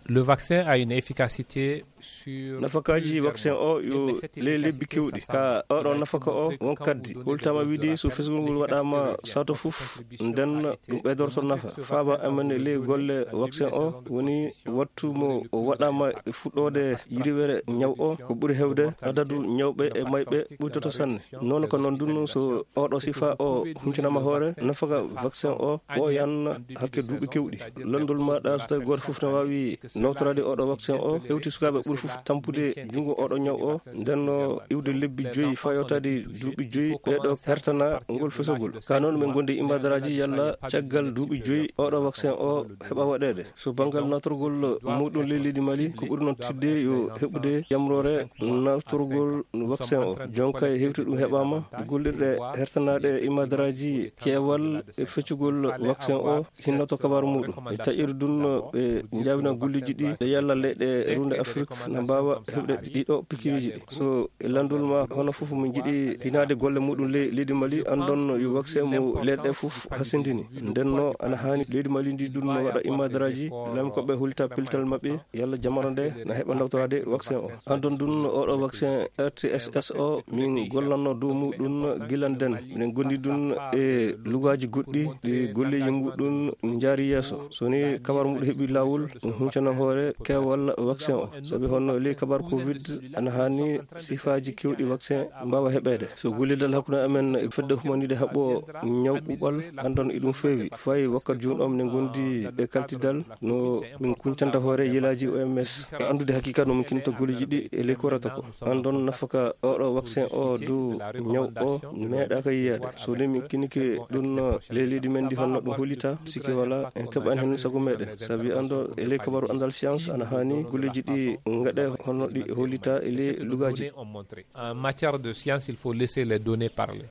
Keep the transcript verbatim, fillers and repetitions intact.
Le vaccin a une efficacité sur... Nafakaaji plusieurs vaccin mois. O yo ley lebbi kewɗi. Ka oɗo nafaka o won kaddi. Hultama wiide so fesgol ngol waɗama sato fof, nden ɗum ɓeydorto nafa. Faaba amen e ley golle vaccin o woni wattu mo o waɗama e fuɗɗode yiriwere ñaw o, ko ɓuri hewde adadu ñawɓe e mayɓe ɓuytoto sanne. Noon ko noon dun, so oɗo sifa o huncinama hoore, nafaka vaccin o ɓooyan hakke duuɓi kewɗi. Landol maɗa so tawi gooto fof ne waawi nawtorade oɗo vaccin o, hewti sukaaɓe ɓuri fof tampude junngo oɗo ñaw o, nden no iwde lebbi joyi faa yewtade duuɓi joyi, ɓeeɗo hertana ngol fesogol. Ka noon min gondi imadaraaji yalla caggal duuɓi joyi oɗo vaccin o heɓa waɗeede. So banngal nawtorgol muɗum ley leydi Mali, ko ɓuri noon teddude yo heɓude yamroore nawtorgol vaccin o. Jonka e hewti ɗum heɓaama, gollirɗe hertanaaɗe e imadaraaji keewal e feccugol vaccin o hinnoto kabaru muɗum. E taƴirde ɗum, ɓe njaabina golleeji ɗi, nde yalla leyɗe runde Afrik na mbaawa heɓde ɗiɗo pikiriiji ɗi. So e landol ma, hono fof min njiɗi hinaade golle muɗum ley leydi Mali, anndon yo vaccin mo leyɗe fof hasindini. Nden no ana haani leydi Mali ndi dun no waɗa imadaraaji, laamikooɓe hollita pellital maɓɓe, yalla jamano nde na heɓa nawtoraade vaccin o. Anndon dun oɗo vaccin R T S S o, min gollanno dow muɗum gila nden. Minen gondi dun e lugaaji goɗɗi ɗi golleeji muɗum njaari yeeso. So ni kabar muɗum heɓi laawol, ɗum huncana hoore keewal vaccin o. Sabi honno ley kabar covid, ana haani sifaaji kewɗi vaccin mbaawa heɓeede. So gollidal hakkunde amen e fedde humaniiɓe haɓɓo ñaw ɓuuɓal, anndon e ɗum feewi. Fayi wakkat jooni o, minen gondi e kaltidal no min kuncanta hoore yelaaji O M S. Anndude hakikat no min kinta golleeji ɗi e ley ko rata ko. Anndon nafaka oɗo vaccin o dow ñaw o meeɗaaka yiyaade. So ni min kinike ɗum ley leydi men ndi honno ɗum hollita, sikke wala en keɓan heen sago meɗen. Sabi anndo e ley kabaru anndal science ana haani golleeji ɗi ngaɗe honno ɗi hollita e ley lugaaji. En matière de science, il faut laisser les données parler.